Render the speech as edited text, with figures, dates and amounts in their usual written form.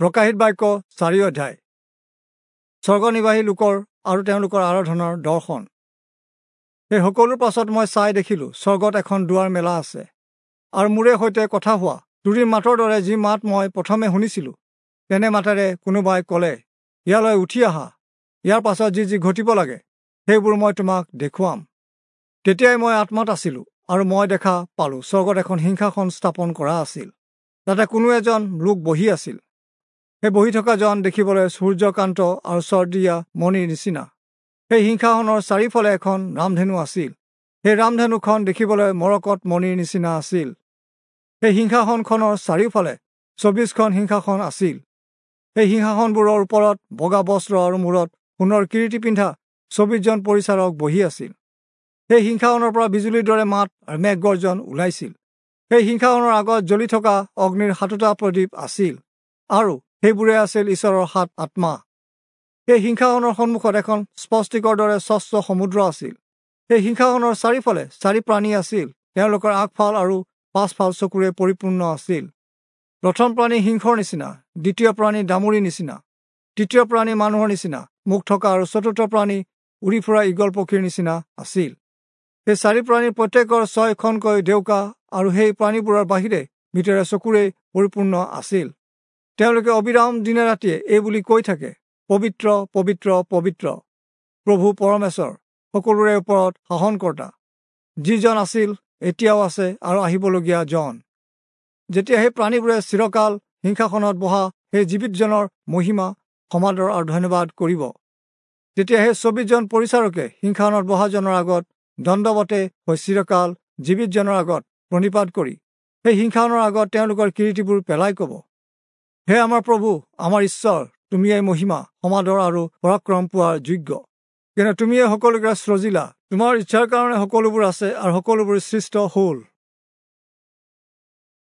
প্ৰকাশিত বাক্য 4 অধ্যায়। স্বৰ্গনিবাসী লোকৰ আৰু তেওঁলোকৰ আৰাধনাৰ দৰ্শন। সেই সকলোৰ পাছত মই চাই দেখিলোঁ, স্বৰ্গত এখন দুৱাৰ মেলা আছে, আৰু মোৰে সৈতে কথা হোৱা তুৰীৰ মাতৰ দৰে যি মাত মই প্ৰথমে শুনিছিলোঁ, তেনে মাতেৰে কোনোবাই ক'লে, ইয়ালৈ উঠি আহা, ইয়াৰ পাছত যি যি ঘটিব লাগে সেইবোৰ মই তোমাক দেখুৱাম। তেতিয়াই মই আত্মাত আছিলোঁ, আৰু মই দেখা পালোঁ স্বৰ্গত এখন সিংহাসন স্থাপন কৰা আছিল, তাতে কোনো এজন লোক বহি আছিল। সেই বহি থকাজন দেখিবলৈ সূৰ্যকান্ত আৰু চৰ্দিয়া মণিৰ নিচিনা। সেই সিংহাসনৰ চাৰিওফালে এখন ৰামধেনু আছিল। সেই ৰামধেনুখন দেখিবলৈ মৰকত মণিৰ নিচিনা আছিল। সেই সিংহাসনখনৰ চাৰিওফালে 24খন সিংহাসন আছিল। সেই সিংহাসনবোৰৰ ওপৰত বগা বস্ত্ৰ আৰু মূৰত সোণৰ কিৰীটি পিন্ধা 24জন পৰিচাৰক বহি আছিল। সেই সিংহাসনৰ পৰা বিজুলীৰ দৰে মাত আৰু মেঘ গৰ্জন ওলাইছিল। সেই সিংহাসনৰ আগত জ্বলি থকা অগ্নিৰ 7টা প্ৰদীপ আছিল, আৰু সেইবোৰে আছিল ঈশ্বৰৰ 7 আত্মা। সেই সিংহাসনৰ সন্মুখত এখন স্পষ্টিকৰ দৰে স্বচ্ছ সমুদ্ৰ আছিল। সেই সিংহাসনৰ চাৰিওফালে 4 প্ৰাণী আছিল, তেওঁলোকৰ আগফাল আৰু পাছফাল চকুৰে পৰিপূৰ্ণ আছিল। প্ৰথম প্ৰাণী সিংহৰ নিচিনা, দ্বিতীয় প্ৰাণী দামুৰিৰ নিচিনা, তৃতীয় প্ৰাণী মানুহৰ নিচিনা মুখ থকা, আৰু চতুৰ্থ প্ৰাণী উৰি ফুৰা ঈগল পক্ষীৰ নিচিনা আছিল। সেই 4 প্ৰাণীৰ প্ৰত্যেকৰ 6খনকৈ ডেউকা, আৰু সেই প্ৰাণীবোৰৰ বাহিৰে ভিতৰে চকুৰে পৰিপূৰ্ণ আছিল। তেওঁলোকে অবিৰাম দিনে ৰাতিয়ে এই বুলি কৈ থাকে, পবিত্ৰ পবিত্ৰ পবিত্ৰ প্ৰভু পৰমেশ্বৰ, সকলোৰে ওপৰত শাসনকৰ্তা, যিজন আছিল, এতিয়াও আছে আৰু আহিবলগীয়া জন। যেতিয়া সেই প্ৰাণীবোৰে চিৰকাল সিংহাসনত বহা সেই জীৱিতজনৰ মহিমা, সমাদৰ আৰু ধন্যবাদ কৰিব, তেতিয়া সেই 24জন পৰিচাৰকে সিংহাসনত বহাজনৰ আগত দণ্ডৱতে হৈ চিৰকাল জীৱিতজনৰ আগত প্ৰণিপাত কৰি সেই সিংহাসনৰ আগত তেওঁলোকৰ কিৰীটিবোৰ পেলাই ক'ব, হে আমাৰ প্ৰভু, আমাৰ ঈশ্বৰ, তুমিয়েই মহিমা, সমাদৰ আৰু পৰাক্ৰম পোৱাৰ যোগ্য, কিন্তু তুমিয়ে সকলোকে সৃজিলা, তোমাৰ ইচ্ছাৰ কাৰণে সকলোবোৰ আছে আৰু সকলোবোৰ সৃষ্ট হ'ল।